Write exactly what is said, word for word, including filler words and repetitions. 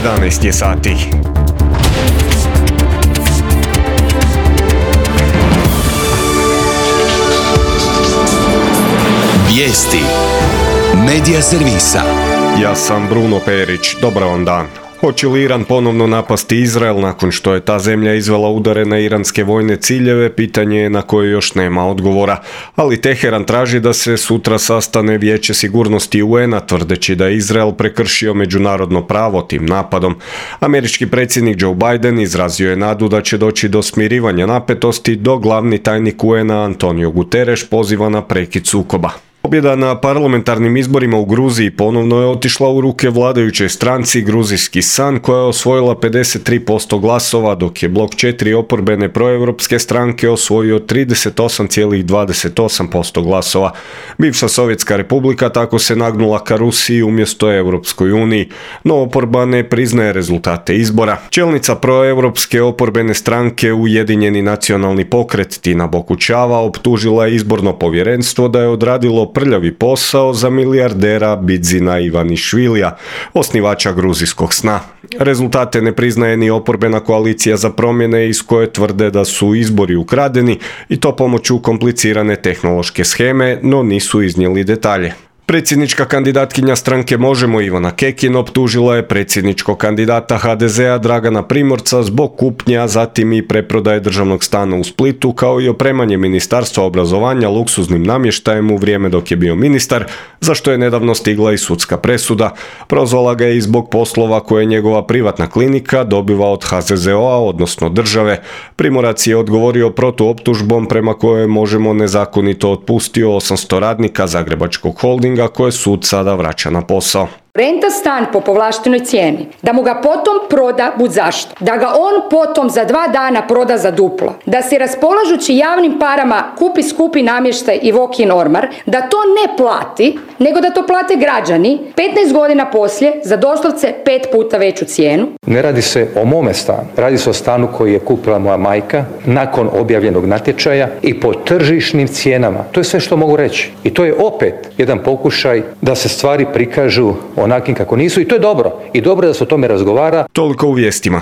jedanaest je sati. Vijesti Medija servisa. Ja sam Bruno Perić, dobar vam dan. Hoće li Iran ponovno napasti Izrael nakon što je ta zemlja izvela udare na iranske vojne ciljeve, pitanje je na koje još nema odgovora. Ali Teheran traži da se sutra sastane Vijeće sigurnosti U N-a tvrdeći da je Izrael prekršio međunarodno pravo tim napadom. Američki predsjednik Joe Biden izrazio je nadu da će doći do smirivanja napetosti, dok glavni tajnik U N-a Antonio Guterres poziva na prekid sukoba. Pobjeda na parlamentarnim izborima u Gruziji ponovno je otišla u ruke vladajućoj stranci Gruzijski san, koja je osvojila pedeset tri posto glasova, dok je blok četiri oporbene proevropske stranke osvojio trideset osam zarez dvadeset osam posto glasova. Bivša Sovjetska republika tako se nagnula ka Rusiji umjesto Europskoj uniji, no oporba ne priznaje rezultate izbora. Čelnica proevropske oporbene stranke Ujedinjeni nacionalni pokret Tina Bokučava optužila je izborno povjerenstvo da je odradilo prljavi posao za milijardera Bidzina Ivanišvilija, osnivača gruzijskog sna. Rezultate ne priznaje ni oporbena koalicija za promjene iz koje tvrde da su izbori ukradeni i to pomoću komplicirane tehnološke sheme, no nisu iznijeli detalje. Predsjednička kandidatkinja stranke Možemo Ivana Kekin optužila je predsjedničkog kandidata H D Z-a Dragana Primorca zbog kupnje, a zatim i preprodaje državnog stana u Splitu, kao i opremanje Ministarstva obrazovanja luksuznim namještajem u vrijeme dok je bio ministar, za što je nedavno stigla i sudska presuda. Prozvala ga je i zbog poslova koje je njegova privatna klinika dobiva od H Z Z O-a, odnosno države. Primorac je odgovorio protuoptužbom prema kojoj Možemo nezakonito otpustio osamsto radnika Zagrebačkog holdinga, koje sud sada vraća na posao. Renta stan po povlaštenoj cijeni, da mu ga potom proda budzašto, da ga on potom za dva dana proda za duplo, da si raspolažući javnim parama kupi skupi namještaj i walk-in ormar, da to ne plati, nego da to plate građani petnaest godina poslije za doslovce pet puta veću cijenu. Ne radi se o mome stanu, radi se o stanu koji je kupila moja majka nakon objavljenog natječaja i po tržišnim cijenama. To je sve što mogu reći. I to je opet jedan pokušaj da se stvari prikažu onakim kako nisu, i to je dobro. I dobro je da se o tome razgovara. Toliko u vijestima.